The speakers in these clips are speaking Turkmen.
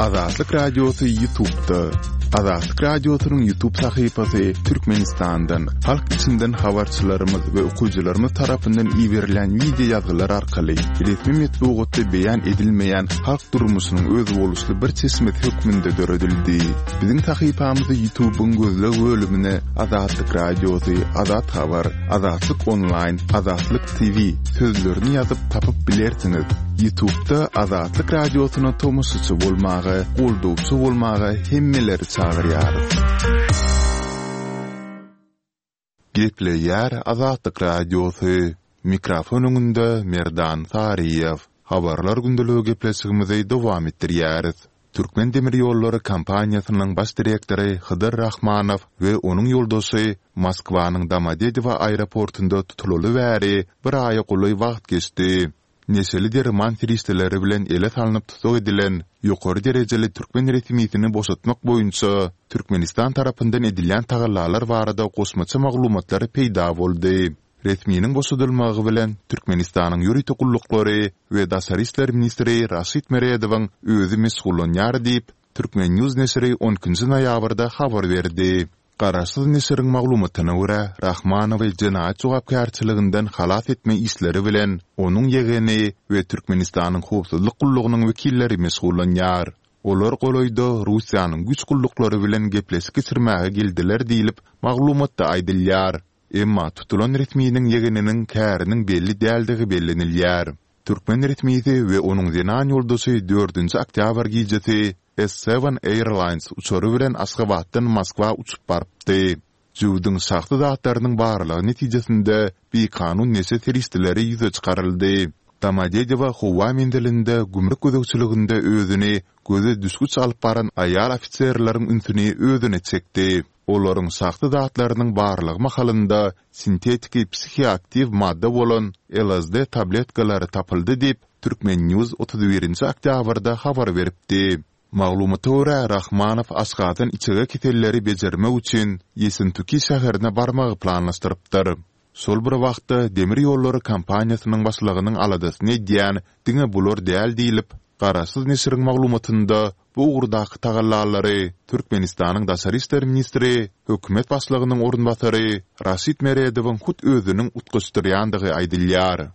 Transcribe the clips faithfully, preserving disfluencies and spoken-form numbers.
Azatlyk Radiosy YouTube'da. Azatlyk Radiosynyň YouTube sahypasy Türkmenistandan, halk içinden habarçylarymyz we okyjylarymyz tarapyndan iberilen wideo ýazgylar arkaly resmi metbugatda beýan edilmeýän halk durmuşynyň özboluşly bir çeşmesi hökmünde döredildi. Biziň sahypamyzy YouTube'yň gözleg bölümine Azatlyk Radiosy, Azat Habar, Azatlyk Online, Azatlyk T V sözlerini ýazyp tapyp bilersiňiz. YouTube'da Azatlyk Radiosyna tomaşaçy bolmaga, goldawçy bolmaga hemmeleri çagyrýarys. Gepleýär Azatlyk Radiosy. Mikrofon öňünde Merdan Saryýew. Habarlar gündeligi gepleşigimizi dowam etdirýäris. Türkmen demir ýollary kompaniýasynyň baş direktory Hydyr Rahmanow we onuň ýoldaşy Moskwanyň Domodedowo aeroportunda tutulaly bäri bir aýa golaý wagt geçdi. Neşeli derman serişdeleri bilen ele salnyp tussag edilen ýokary derejeli türkmen resmisini boşatmak boýunça Türkmenistan tarapyndan edilýän tagallalar barada goşmaça maglumatlar peýda boldy. Resminiň boşadylmagy bilen Türkmenistanyň ýörite gulluklary we Daşary işler ministri Raşid Meredowyň özi meşgullanýar diýip, Turkmen News neşiri on ikinji noýabrda habar berdi. Garaşsyz neşiriň maglumatyna görä, Rahmanowy jenaýat jogapkärçiliginden halas etme işleri bilen onuň ýegeni we Türkmenistanyň howpsuzlyk gullugynyň wekilleri meşgullanýar. Olar golaýda Russiýanyň güýç gulluklary bilen gepleşik geçirmäge geldiler diýlip, maglumatda aýdylýar. Emma tutulan resminiň ýegeniniň käriniň belli däldigi bellenilýär. Türkmen resmisi we onuň zenan ýoldaşy dördünji oktýabr gijesi S seven Airlines uçary bilen Aşgabatdan Moskwa uçup barypdy. Jübüdiň şahsy zatlarynyň barlagy netijesinde bikanun neşe serişdeleri ýüze çykaryldy. Domodedowo howa menzilinde gümrük gözegçiliginde özüni göze düşgüç alyp baran aýal ofiserleriň ünsüni özüne çekdi. Olaryň şahsy zatlarynyň barlagy mahalynda sintetiki psihoaktiw madda bolan L S D tabletkalary tapyldy diýip, Turkmen News otuz birinji oktýabrda habar beripdi. Maglumata görä, Rahmanow Aşgabatdan içege keselleri bejermek üçin Ýesentuki şäherine barmagy planlaşdyrypdyr. Şol bir wagtda demir ýollary kompaniýasynyň başlygynyň aladasyny edýän diňe bular däl diýlip, Garaşsyz neşiriň maglumatynda bu ugurdaky tagallalary Türkmenistanyň Daşary işler ministri, hökümet başlygynyň orunbasary Raşid Meredowyň hut özüniň utgaşdyrýandygy aýdylýar.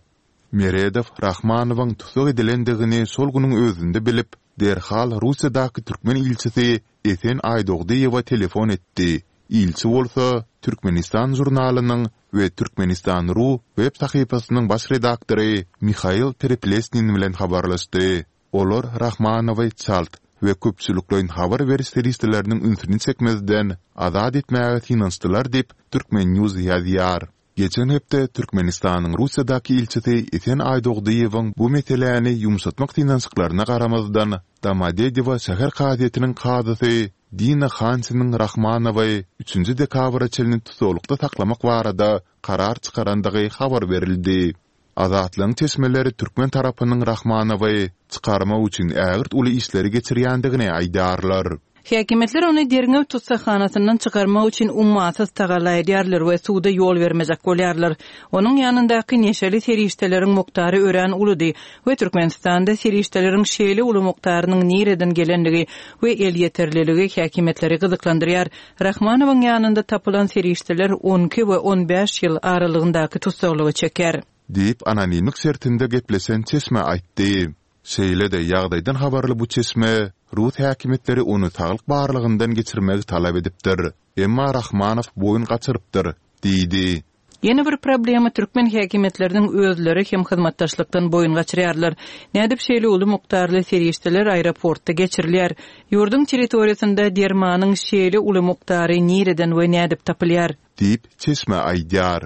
Meredow Rahmanowyň tussag edilendigini şol günüň özünde bilip, derhal Russiýadaky türkmen ilçisi Esen Aýdogdyýewa telefon etdi. Ilçi bolsa Türkmenistan žurnalynyň we Türkmenistan ru web sahypasynyň baş redaktory Mihail Pereplesnin bilen habarlaşdy. Olar Rahmanowy çalt we köpçülikleýin habar beriş serişdeleriniň ünsüni çekmezden azat etmäge synanyşdylar diýip, Turkmen News ýazýar. Geçen hepde Türkmenistanyň Russiýadaky ilçisi Esen Aýdogdyýewiň bu meseläni ýumşatmak synanyşyklaryna garamazdan, Domodedowo şäher kazyýetiniň kazysy Dina Hansiniň Rahmanowy üçünji dekabra çenli tussaglykda saklamak barada karar çykarandygy habar berildi. Azatlygyň çeşmeleri türkmen tarapynyň Rahmanowy çykarmak üçin ägirt uly işleri geçirýändigini aýdýarlar. Häkimiýetler ony derňew tussaghanasyndan çykarmak üçin ummasyz tagalla edýärler we suwda ýol bermejek bolýarlar. Onuň ýanyndaky neşeli serişdeleriň mukdary örän uludy we Türkmenistanda serişdeleriň şeýle uly mukdarynyň nireden gelenligi we elýeterliligi häkimiýetleri gyzyklandyrýar. Rahmanowyň ýanynda tapylan serişdeler on iki we on bäş ýyl aralygyndaky tussaglygy çeker. Diýip anonimlik şertinde gepleşen çeşme aýtdy. Şeýle-de ýagdaýdan habarly bu çeşme Rus häkimiýetleri ony saglyk barlygyndan geçirmegi talap edipdir. Emma Rahmanow boýun gaçyrypdyr, diýdi. Ýene bir problema türkmen häkimiýetleriniň özleri hem hyzmatdaşlykdan boýun gaçyrýarlar. Nädip şeýle uly mukdarly serişdeler aeroportda geçirilýär? Ýurduň territoriýasynda dermanyň şeýle uly mukdary nireden we nädip tapylýar? Diýip çeşme aýdýar.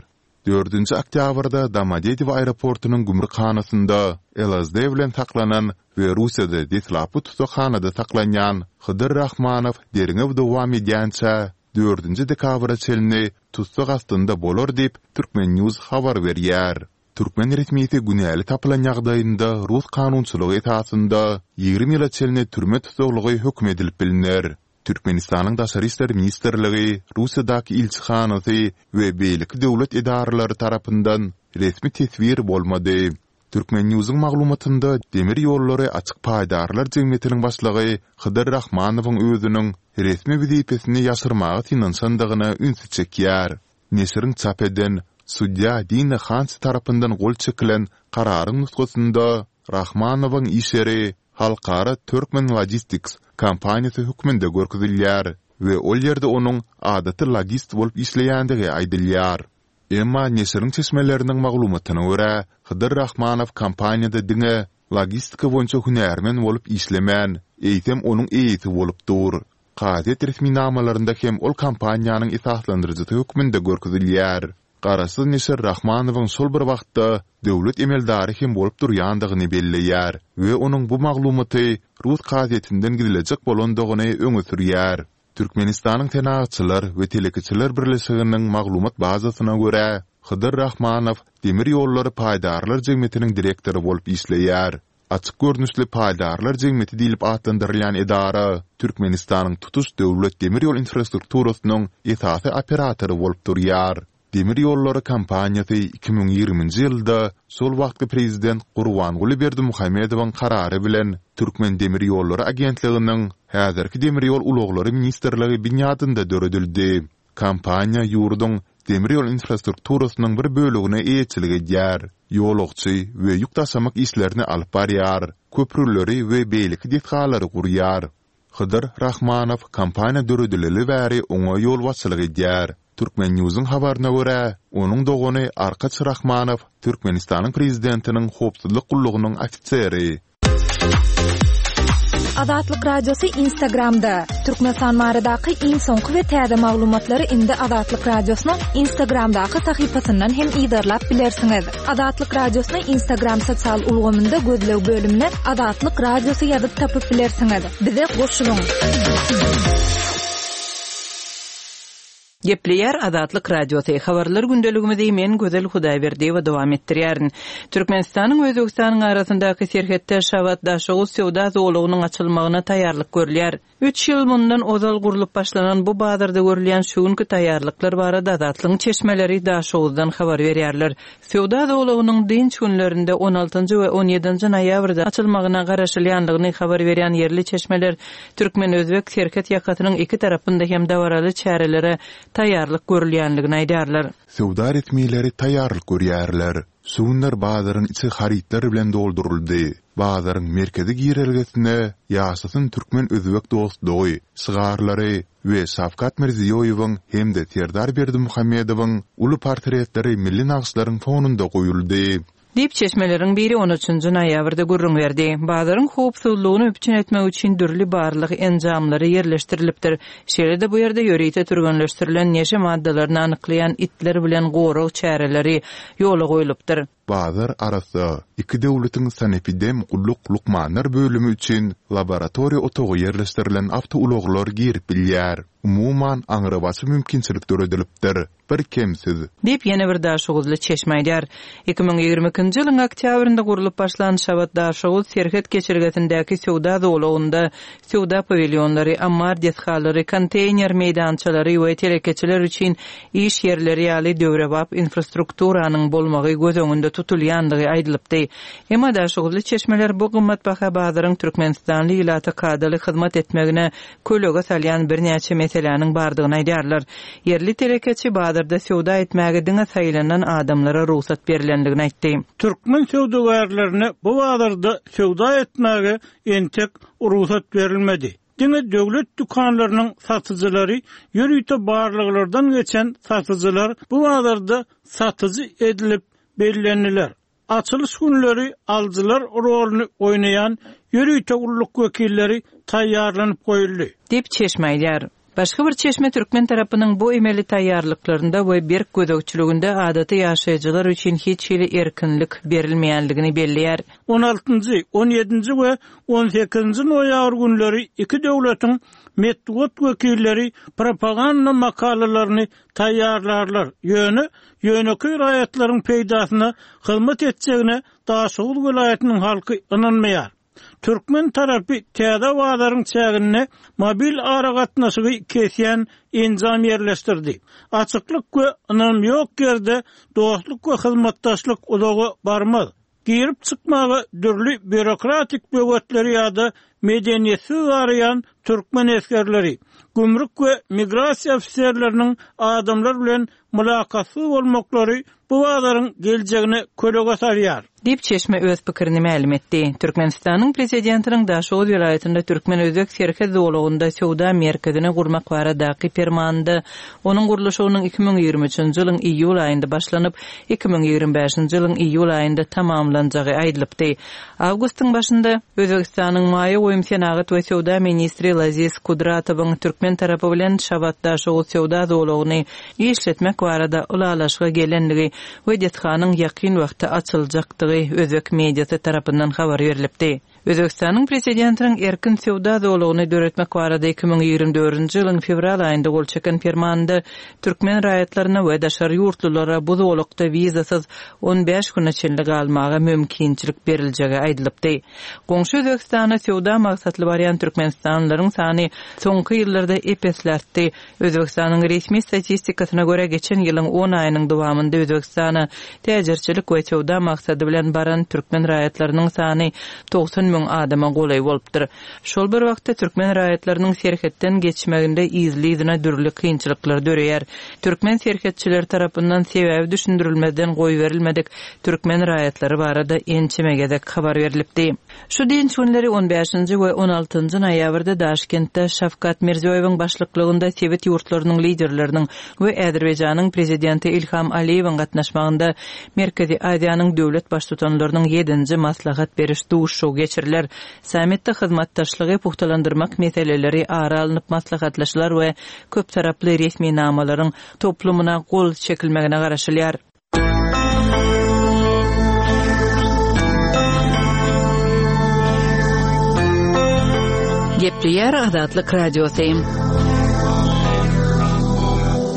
Dördünji oktýabrda Domodedowo aeroportunyň gümrükhanasynda L S D bilen saklanan we Russiýada deslapky tussaghanada saklanýan Hydyr Rahmanow derňew dowam edýänçä dördünji dekabra çenli tussag astynda bolar diýip Turkmen News habar berýär. Türkmen resmisi günäli tapylan ýagdaýynda Rus kanunçylygy esasynda ýigrimi ýyla çenli türme tussaglygy höküm edilip biliner. Türkmenistanyň Daşary işler ministrligi, Russiýadaky ilçihanasy we beýleki döwlet edaralary tarapyndan resmi teswir bolmady. Turkmen.Newsiň maglumatynda Demir ýollary açyk paýdarlar jemgyýetiniň başlygy Hydyr Rahmanowyň özüniň resmi wezipesini ýaşyrmaga synanyşandygyna ünsi çekýär. Neşiriň çap eden, sudýa Dina Hansi tarapyndan gol çekilen kararyň nusgasynda Rahmanowyň iş ýeri Halkara Turkmen Logistics kompaniýasy hökmünde görkezilýär we ol ýerde onuň adaty logist bolup işleýändigi aýdylýar. Emma neşiriň çeşmeleriniň maglumatyna görä, Hydyr Rahmanow kompaniýada diňe logistika boýunça hünärmen bolup işlemän, eýsem onuň eýesi bolup dur. Kazyýet resminamalarynda hem ol kompaniýanyň esaslandyryjysy hökmünde görkezilýär. Garaşsyz neşir Rahmanowyň şol bir wagtda döwlet emeldary hem bolup durýandygyny belleýär we onuň bu maglumaty rus kazyýetinden gizlejek bolandygyny öňe sürýär. Türkmenistanyň Senagatçylar we telekeçiler birleşiginiň maglumat bazasyna görä, Hydyr Rahmanow Demir ýollary paýdarlar jemgyýetiniň direktory bolup işleýär. Açyk görnüşli paýdarlar jemgyýeti diýlip atlandyrylýan edara Türkmenistanyň tutuş döwlet demir ýol infrastrukturasynyň esasy operatory bolup durýar. Demir ýollary kompaniýasy iki müň ýigriminji ýylda şol wagtky prezident Gurbanguly Berdimuhamedowyň karary bilen Türkmendemirýollary agentliginiň, häzirki Demir ýol ulaglary ministrligi binýadynda döredildi. Kompaniýa ýurduň demir ýol infrastrukturasynyň bir bölegine eýeçilik edýär, ýolagçy we ýük daşamak işlerini alyp barýar, köprüleri we beýleki desgalary gurýar. Hydyr Rahmanow kompaniýa döredileli bäri oňa ýolbaşçylyk edýär. Turkmen.Newsiň habaryna görä, onuň dogany Arkaç Rahmanow Türkmenistanyň Prezidentiniň Howpsuzlyk gullugynyň ofiseri. Azatlyk Radiosy Instagramda, Türkmenistan baradaky iň soňky we täze maglumatlary indi Azatlyk Radiosynyň Instagramdaky sahypasyndan hem yzarlap bilersiňiz. Azatlyk Radiosyny Instagram sosial ulgamynda gözleg bölümine Azatlyk Radiosy ýazyp tapyp bilersiňiz. Bize goşulyň! Gepleýär Azatlyk Radiosy. Habarlar gündeligimizi men Gözel Hudaýberdiýewa dowam etdirýärin. Türkmenistanyň we Özbegistanyň arasyndaky serhetde Şabat-Daşoguz söwda zolagynyň açylmagyna taýýarlyk görülýär. Üç ýyl mundan ozal gurlup başlanan bu bazarda görülýän şu günki taýýarlyklar barada Azatlygyň çeşmeleri Daşoguzdan habar berýärler. Söwda zolagynyň dynç günlerinde on altynjy we on ýedinji noýabrda açylmagyna garaşylýandygyny habar berýän ýerli çeşmeler türkmen-özbek serhet ýakasynyň iki tarapynda hem dabaraly çärelere taýýarlyk görülýändigini aýdýarlar. Söwda resmileri taýýarlyk görýärler. Şu günler bazaryň içi harytlar bilen dolduryldy. Bazaryň merkezi girelgesine Ýaşasyn türkmen-özbek dostlugy şygarlary we Şawkat Mirziýoýewiň hem-de Serdar Berdimuhamedowyň uly portretleri milli nagyşlaryň fonunda goýuldy. Diýip, çeşmeleriň biri on üçünji noýabrda gürrüň berdi. Bazaryň howpsuzlygyny üpjün etmek üçin dürli barlag enjamlary ýerleşdirilipdir. Şeýle-de bu ýerde ýörite türgenleşdirilen neşe maddalaryny anyklaýan itler bilen gorag çäreleri ýola goýlupdyr. Bazar arassa, iki döwletiň sanepidem gulluk lukmanlar bölümi üçin laboratoriýa otagy ýerleşdirilen awtoulaglar girip bilýär. Umuman, aňrybaşy mümkinçilik döredilipdir. Bir kemsiz. Diýip, ýene bir daşoguzly çeşme aýdýar. Iki müň ýigrimi ikinji ýylyň oktýabrynda gurlup başlan Şabat-Daşoguz serhet geçelgesindäki söwda zolagynda söwda pawilýonlary, ammar desgalary, konteýner meýdançalary we telekeçiler üçin iş ýerleri ýaly döwrebap infrastrukturanyň bolmagy göz öňünde tutulýandygy aýdylypdy. Emma daşoguzly çeşmeler bu gymmatbaha bazaryň türkmenistanly ilata kadaly hyzmat etmegine kölege salýan birnäçe meseläniň bardygyny aýdýarlar. Ýerli telekeçi bazarda söwda etmäge diňe saýlanan adamlara rugsat berlendigini aýtdy. Türkmen söwdagärlerine bu bazarda söwda etmäge entek rugsat berilmedi. Diňe döwlet dükanlarynyň satyjylary, ýörite barlaglardan geçen satyjylar bu bazarda satyjy edilip bellendiler. Açylyş günleri alyjylar roluny oýnaýan ýörite gulluk wekilleri taýýarlanyp goýuldy. Diýip, çeşme aýdýar. Başga bir çeşme türkmen tarapynyň bu emeli taýýarlyklarynda we berk gözegçiliginde adaty ýaşaýjylar üçin hiç hili erkinlik berilmeýänligini belleýär. On altynjy, on ýedinji we on sekizinji noýabr günleri iki döwletiň metbugat wekilleri propaganda makalalaryny taýýarlarlar, ýöne ýönekeý raýatlaryň peýdasyna hyzmat etjegine Daşoguz welaýatynyň halky ynanmaýar. Türkmen tarapy täze bazaryň çäginde mobil aragatnaşygy kesýän enjam ýerleşdirdi. Açyklyk we ynam ýok ýerde dostluk we hyzmatdaşlyk uzaga barmaz. Girip çykmaga dürli býurokratik böwetleri ýa-da medeniýetsiz garaýan türkmen esgerleri, gümrük we migrasiýa ofiserleriniň adamlar bilen mylakatsyz bolmaklary bu bazaryň geljegine kölege salýar. Diýip, çeşme öz pikirini mälim etdi. Türkmenistanyň Prezidentiniň Daşoguz welaýatynda türkmen-özbek serhet zolagynda söwda merkezini gurmak baradaky Permanynda onuň gurluşygynyň iki müň ýigrimi üçünji ýylyň iýul aýynda başlanyp, iki müň ýigrimi bäşinji ýylyň iýul aýynda tamamlanjagy aýdylypdy. Awgustyň başynda Özbegistanyň maýa goýum, senagat we söwda ministri Laziz Kudratowyň türkmen tarapy bilen Şabat-Daşoguz söwda zolagyny işletmek barada ylalaşyga gelendigi we desganyň ýakyn wagtda açyljakdygy özbek mediasy tarapyndan habar berlipdi. Özbegistanyň Prezidentiniň erkin söwda zolagyny döretmek barada iki müň ýigrimi dördünji ýylyň fewral aýynda gol çeken Permanynda türkmen raýatlaryna we daşary ýurtlulara bu zolakda wizasyz on bäş güne çenli galmaga mümkinçilik beriljegi aýdylypdy. Goňşy Özbegistana söwda maksatly barýan türkmenistanlylaryň sany soňky ýyllarda ep-esli artdy. Özbegistanyň resmi statistikasyna görä, geçen ýylyň on aýynyň dowamynda Özbegistana täjirçilik we söwda maksady bilen baran türkmen raýatlarynyň sany togsan müň adama golaý bolupdyr. Şol bir wagtda türkmen raýatlarynyň serhetden geçmeginde yzly-yzyna dürli kynçylyklar döreýär. Türkmen serhetçileri tarapyndan sebäbi düşündirilmezden goýberilmedik türkmen raýatlary barada ençeme gezek habar berlipdi. Şu dynç günleri on bäşinji we on altynjy noýabrda Daşkentde Şawkat Mirziýoýewiň başlyklygynda sebit ýurtlarynyň liderleriniň we Azerbaýjanyň prezidenti Ilham Aliýewiň gatnaşmagynda Merkezi Aziýanyň döwlet baştutanlarynyň ýedinji maslahat beriş duşuşygy geçiriler. Sammitde hyzmatdaşlygy pugtalandyrmak meseleleri ara alnyp maslahatlaşylar we köptaraply resminamalaryň toplumyna gol çekilmegine garaşylýar. Gepleýär Azatlyk Radiosy.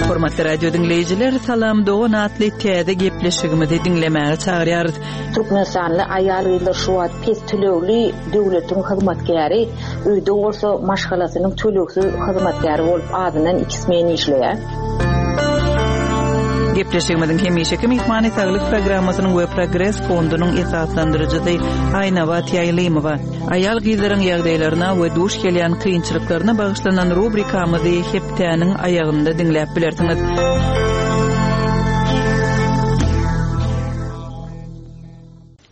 Hormatly radio diňleýjiler, Salam Dogan atly täze gepleşigimizi diňlemäge çagyrýarys. Türkmenistanly aýal-gyzlar şu wagt pes tölegli döwletiň hyzmatkäri, öýde bolsa maşgalasynyň tölegsiz hyzmatkäri bolup azyndan iki smen işleýär. Gepleşigimiziň hemişeki myhmany Saglyk programmasynyň we Progres fondunyň esaslandyryjysy Aýnabat Ýaýlymowa. Aýal-gyzlaryň ýagdaýlaryna we duş gelýän kynçylyklaryna bagyşlanan rubrikamyzy hepdäniň aýagynda diňläp bilersiňiz.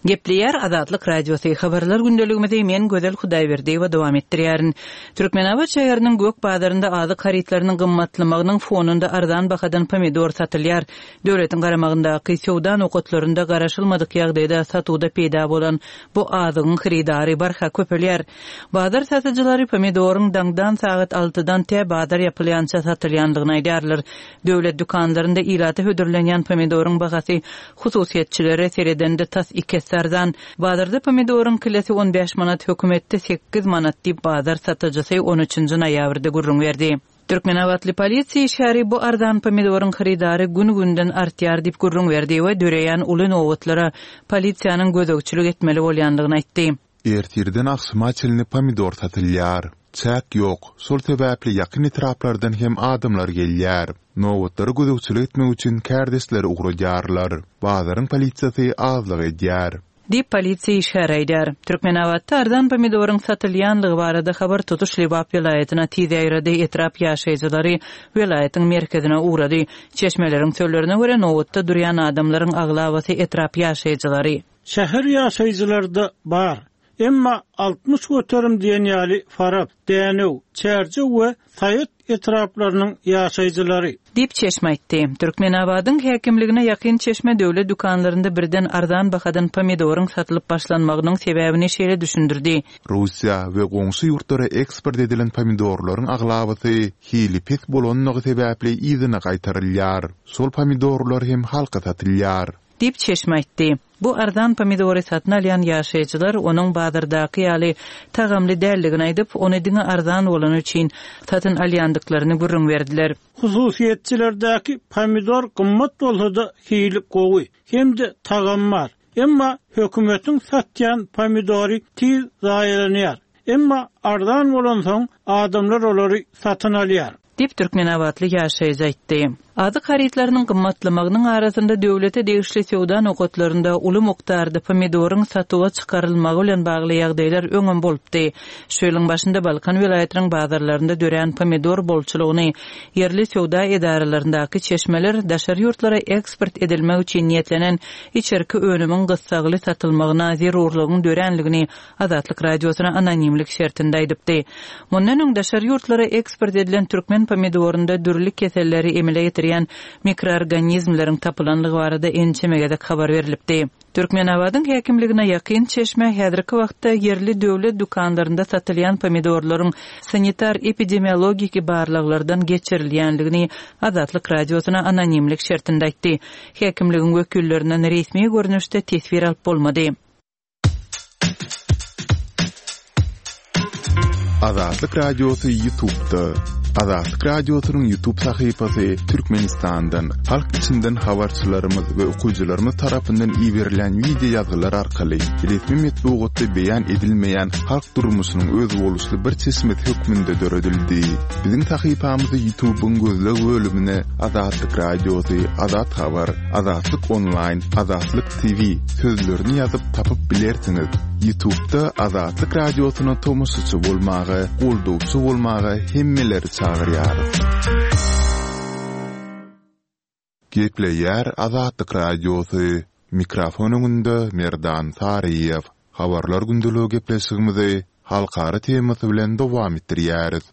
Gepleýär Azatlyk Radiosy. Habarlar gündeligimizi men Gözel Hudaýberdiýewa dowam etdirýärin. Türkmenabat şäheriniň Gök bazarynda azyk harytlarynyň gymmatlamagynyň fonunda arzan bahadan pomidor satylýar. Döwletiň garamagyndaky söwda nokatlarynda garaşylmadyk ýagdaýda satuwda peýda bolan bu azygyň hyrydary barha köpelýär. Bazar satyjylary pomidoryň daňdan sagat altydan tä bazar ýapylýança satylýandygyny aýdýarlar. Döwlet dükanlarynda ilata hödürlenýän pomidoryň bahasy hususyýetçilere seredende tas iki esse arzan. Bazarda pomidoryň kilesi on bäş manat, hökümetde sekiz manat diýip bazar satyjysy on üçünji noýabrda gürrüň berdi. Türkmenabatly polisiýa işgäri bu arzan pomidoryň hyrydary gün-günden artýar diýip gürrüň berdi we döreýän uly nobatlara polisiýanyň gözegçilik etmeli bolýandygyny aýtdy. Ertirden agşama çenli pomidor satylýar. Çäk ýok, şol sebäpli ýakyn etraplardan hem adamlar gelýär. Nobatlary gözegçilik etmek üçin kärdeşleri ugradýarlar. Bazaryň polisiýasy azlyk edýär. Diýip polisiýa işgäri aýdýar. Türkmenabatda arzan pomidoryň satylýanlygy barada habar tutuş Lebap welaýatyna tiz ýaýrady, etrap ýaşaýjylary welaýatyň merkezine ugrady. Çeşmeleriň sözlerine görä nobatda durýan adamlaryň aglabasy etrap ýaşaýjylary. Şäher ýaşaýjylarda bar. Emma altmyş göterim diýen ýaly Farap, Dänew, Çärjew we Saýat etraplarynyň ýaşaýjylary. Diýip çeşme aýtdy. Türkmenabadyň häkimligine ýakyn çeşme döwlet dükanlarynda birden arzan bahadan pomidoryň satylyp başlanmagynyň sebäbini şeýle düşündirdi. Russiýa we goňşy ýurtlara eksport edilen pomidorlaryň aglabasy hili pes bolanlygy sebäpli yzyna gaýtarylýar. Şol pomidorlar hem halka satylýar. Diýip çeşme aýtdy. Bu arzan pomidory satyn alýan ýaşaýjylar onuň bazardaky ýaly tagamly däldigini aýdyp, ony diňe arzan bolany üçin satyn alýandyklaryny gürrüň berdiler. Hususyýetçilerdäki pomidor gymmat bolsa-da hili gowy hem-de tagam bar. Emma hökümetiň satýan pomidory tiz zaýalanýar. Emma arzan bolansoň adamlar olary satyn alýar. Diýip Türkmenabatly ýaşaýjy aýtdy. Azyk harytlarynyň gymmatlamagynyň arasynda döwlete degişli söwda nokatlarynda uly mukdarda pomidoryň satuwa çykarylmagy bilen bagly ýagdaýlar öňem bolupdy. Şu ýylyň başynda Balkan welaýatynyň bazarlarynda dörän pomidor bolçulygyny ýerli söwda edaralaryndaky çeşmeler daşary ýurtlara eksport edilmek üçin niýetlenen içerki önümiň gyssagly satylmagyna zerurlygyň döränligini Azatlyk Radiosyna anonimlik şertinde aýdypdy. Mundan öň daşary ýurtlara eksport edilen türkmen pomidorynda dürli keselleri emele getirýän mikroorganizmleriň tapylanlygy barada ençeme gezek habar berlipdi. Türkmenabadyň häkimligine ýakyn çeşme häzirki wagtda ýerli döwlet dükanlarynda satylýan pomidorlaryň sanitar-epidemiologiki barlaglardan geçirilýänligini Azatlyk Radiosyna anonimlik şertinde aýtdy. Häkimligiň wekillerinden resmi görnüşde teswir alyp bolmady. Azatlyk Radiosy YouTube'da. Azatlyk Radiosynyň YouTube sahypasy Türkmenistandan, halk içinden habarçylarymyz we okyjylarymyz tarapyndan iberilen wideo ýazgylar arkaly resmi metbugatda beýan edilmeýän halk durmuşynyň özboluşly bir çeşmesi hökmünde döredildi. Biziň sahypamyzy YouTube'yň gözleg bölümine Azatlyk Radiosy, Azat Habar, Azatlyk Online, Azatlyk T V sözlerini ýazyp tapyp bilersiňiz. YouTube'da Azatlyk Radiosyna tomaşaçy bolmaga, goldawçy bolmaga hemmeleri çagyrýarys. Gepleýär Azatlyk Radiosy. Mikrofon öňünde Merdan Saryýew. Habarlar gündeligi gepleşigimizi halkara temasy bilen dowam etdirýäris.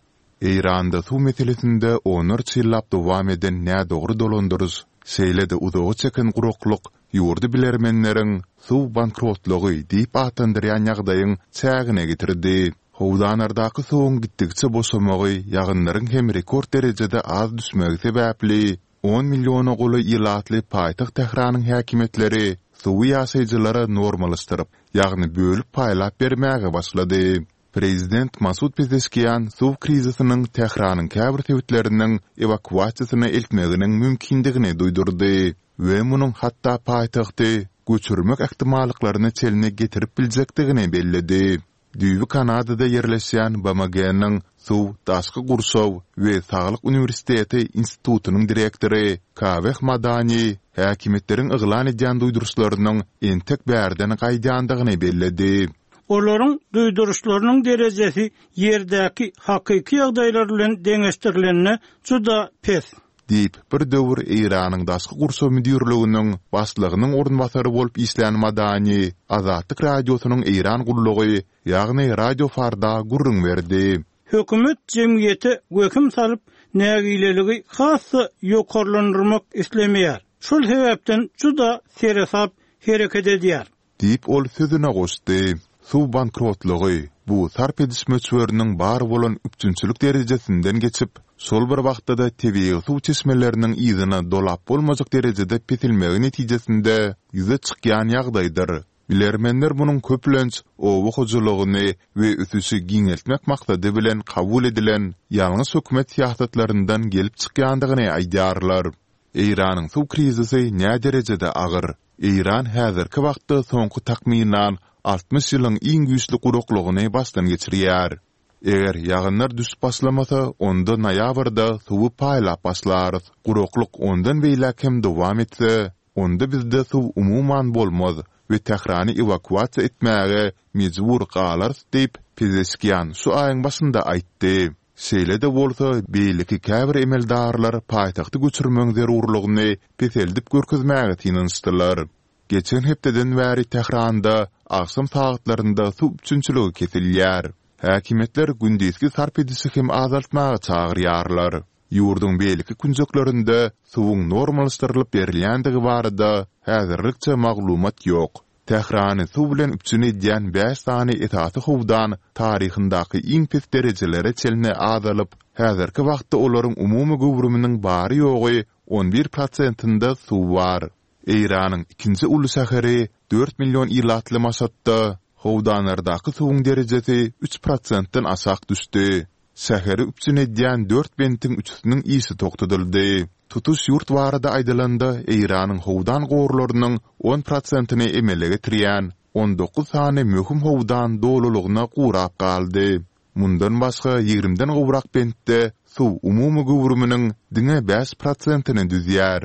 Eýranda suw meselesinde onlarça ýyllap dowam eden nädogry dolandyryş, şeýle-de uzaga çeken guraklyk ýurdy bilermenleriň suw bankrotlygy diýip atlandyrýan ýagdaýyň çägine getirdi. Howdanlardaky suwuň gitdikçe boşamagy, ýagynlaryň hem rekord derejede az düşmegi sebäpli on milliona golaý ilatly paýtagt Tähranyň häkimiýetleri suwy ýaşaýjylara normallaşdyryp, ýagny bölüp paýlap bermäge başlady. Prezident Masud Pezeşkian suw krizisiniň Tähranyň käbir sebitleriniň ewakuasiýasyna eltmeginiň mümkindigini duýdurdy we munuň hatda paýtagty göçürmek ähtimallyklaryna çenli getirip biljekdigini belledi. Düýbi Kanadada ýerleşýän B M G-niň Suw, Daşky Gurşaw we Saglyk Uniwersiteti institutynyň direktory Kaweh Madani häkimiýetleriň yglan edýän duýduryşlarynyň entek bärden gaýdýandygyny belledi. Olaryň duýduryşlarynyň derejesi ýerdäki hakyky ýagdaýlar bilen deňeşdirilende juda pes. Diýip, bir döwür Eýranyň Daşky Gurşaw müdirliginiň başlygynyň orunbasary bolup işlän Madani Azatlyk Radiosynyň Eýran gullugy, ýagny Radio Farda gürrüň berdi. Hökümet jemgyýete wehim salyp, nägileligi hassa ýokarlandyrmak islemeýär. Şol sebäpden juda seresap hereket edýär. Diýip ol sözüne goşdy. Suw bankrotlygy bu sarp ediş möçberiniň bar bolan üpjünçilik derejesinden geçip, şol bir wagtda-da tebigy suw çeşmeleriniň yzyna dolap bolmajak derejede peselmegi netijesinde ýüze çykýan ýagdaýdyr. Bilermenler munuň köplenç oba hojalygyny we ösüşi giňeltmek maksady bilen kabul edilen ýalňyş hökümet syýasatlaryndan gelip çykýandygyny aýdýarlar. Eýranyň suw krizisi nä derejede agyr? Eýran häzirki wagtda soňky takmynan altmyş ýylyň iň güýçli guraklygyny başdan geçirýär. Eger ýagynlar düşüp başlamasa, onda noýabrda suwy paýlap başlarys. Guraklyk ondan beýläk hem dowam etse, onda bizde suw umuman bolmaz we Tährany ewakuasiýa etmäge mejbur galarys diýip, Pezeşkian şu aýyň başynda aýtdy. Şeýle-de bolsa, beýleki käbir emeldarlar paýtagty göçürmegiň zerurlygyny peseldip görkezmäge synanyşdylar. Geçen hepdeden bäri Tähranda agşam sagatlarynda suw üpjünçiligi kesilýär. Häkimiýetler gündizki sarp edişi hem azaltmaga çagyrýarlar. Ýurduň beýleki künjeklerinde suwuň normallaşdyrylyp berilýändigi barada häzirlikçe maglumat ýok. Tährany suw bilen üpjün edýän bäş sany esasy howdan taryhyndaky iň pes derejelere çenli azalyp, häzirki wagtda olaryň umumy göwrüminiň bary-ýogy on bir prosentinde suw bar. Eýranyň ikinji uly şäheri dört million ilatly Maşatda howdanlardaky suwuň derejesi üç prosentden aşak düşdi. Şäheri üpjün edýän dört bentiň üçüsiniň işi togtadyldy. Tutuş ýurt barada aýdylanda, Eýranyň howdan gorlarynyň on prosentini emele getirýän on dokuz sany möhüm howdan dolulygyna gurap galdy. Mundan başga ýigrimiden gowrak bentde suw umumy göwrüminiň diňe bäş prosentini düzýär.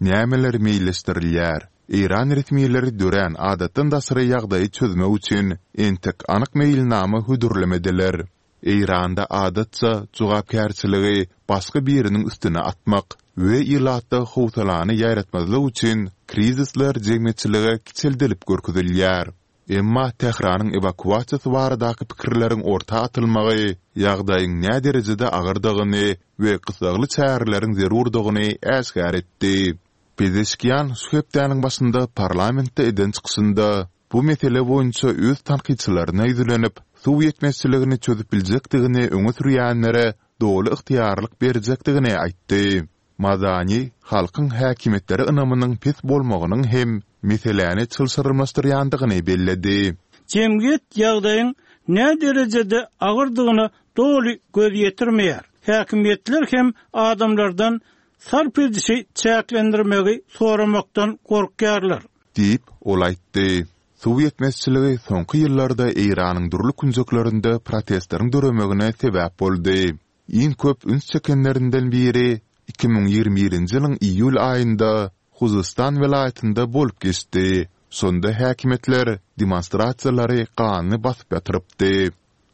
Nämeler meýilleşdirilýär? Eýran resmileri dörän adatdan daşary ýagdaýy çözmek üçin entek anyk meýilnama hödürlemediler. Eýranda adatça jogapkärçiligi başga biriniň üstüne atmak we ilatda howsalany ýaýratmazlyk üçin krizisler jemgyýetçilige kiçeldilip görkezilýär. Emma Tähranyň ewakuasiýasy baradaky pikirleriň orta atylmagy ýagdaýyň näderejede agyrdygyny we gyssagly çäreleriň zerurdygyny äşgär etdi. Pezeşkian şu hepdäniň başynda parlamentde eden çykyşynda bu mesele boýunça öz tankytçylaryna ýüzlenip, suw ýetmezçiligini çözüp biljekdigini öňe sürýänlere doly ygtyýarlyk berjekdigini aýtdy. Madani halkyň häkimiýetlere ynamynyň pes bolmagynyň hem meseläni çylşyrymlaşdyrýandygyny belledi. Jemgyýet ýagdaýyň näderejede agyrdygyna doly göz ýetirmeýär. Häkimiýetler hem adamlardan sarp edişi çäklendirmegi soramakdan gorkýarlar. Diýip, ol aýtdy. Suw ýetmezçiligi soňky ýyllarda Eýranyň dürli künjeklerinde protestleriň döremegine sebäp boldy. Iň köp üns çekenlerinden biri iki müň ýigrimi birinji ýylyň iýul aýynda Huzystan welaýatynda bolup geçdi. Şonda häkimiýetler demonstrasiýalary ganly basyp ýatyrypdy.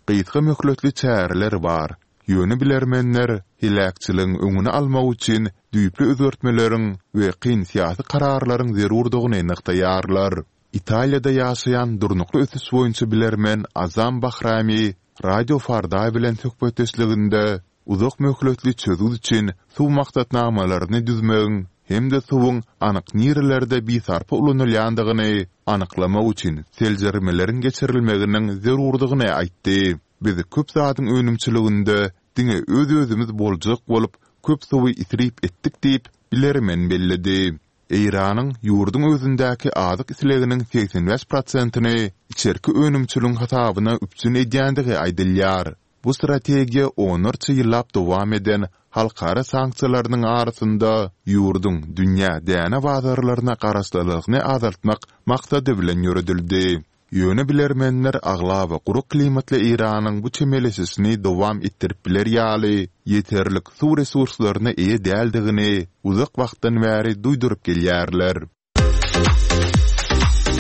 Gysga möhletli çäreler bar, ýöne bilermenler heläkçiligiň öňüni almak üçin düýpli özgertmeleriň we kyn syýasy kararlaryň zerurdygyny nygtaýarlar. Italiýada ýaşaýan durnukly ösüş boýunça bilermen Azam Bahrami Radio Farda bilen söhbetdeşliginde uzak möhletli çözgüt üçin suw maksatnamalaryny düzmegiň hem-de suwuň anyk nirelerde bisarpa ulanylýandygyny anyklamak üçin seljermeleriň geçirilmeginiň zerurdygyny aýtdy. Biz köp zadyň önümçiliginde diňe öz-özümiz boljak bolup, köp suwy isrip etdik diýip, bilermen belledi. Eýranyň ýurduň özündäki azyk isleginiň segsen bäş prosentini içerki önümçiligiň hasabyna üpjün edýändigi aýdylýar. Bu strategiýa onlarça ýyllap dowam eden halkara sanksiýalarynyň arasynda ýurduň dünýä däne bazarlaryna garaşlylygyny azaltmak maksady bilen ýöredildi. Ýöne bilermenler aglaba gurak klimatly Eýranyň bu çemeleşişini dowam etdirip biler ýaly ýeterlik suw resurslaryna eýe däldigini uzak wagtdan bäri duýduryp gelýärler.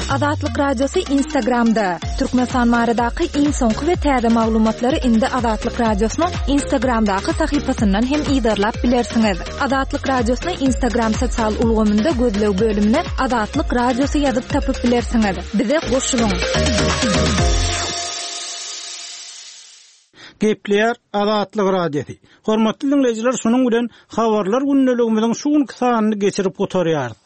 Azatlyk Radiosy Instagramda, Türkmenistan baradaky iň soňky we täze maglumatlary indi Azatlyk Radiosynyň Instagramdaky sahypasyndan hem yzarlap bilersiňiz. Azatlyk Radiosyny Instagram sosial ulgamynda gözleg bölümine Azatlyk Radiosy ýazyp tapyp bilersiňiz. Bize goşulyň! Gepleýär Azatlyk Radiosy. Hormatly diňleýjiler, şunuň bilen Habarlar gündeligimiziň şu günki sanyny geçirip gutarýarys.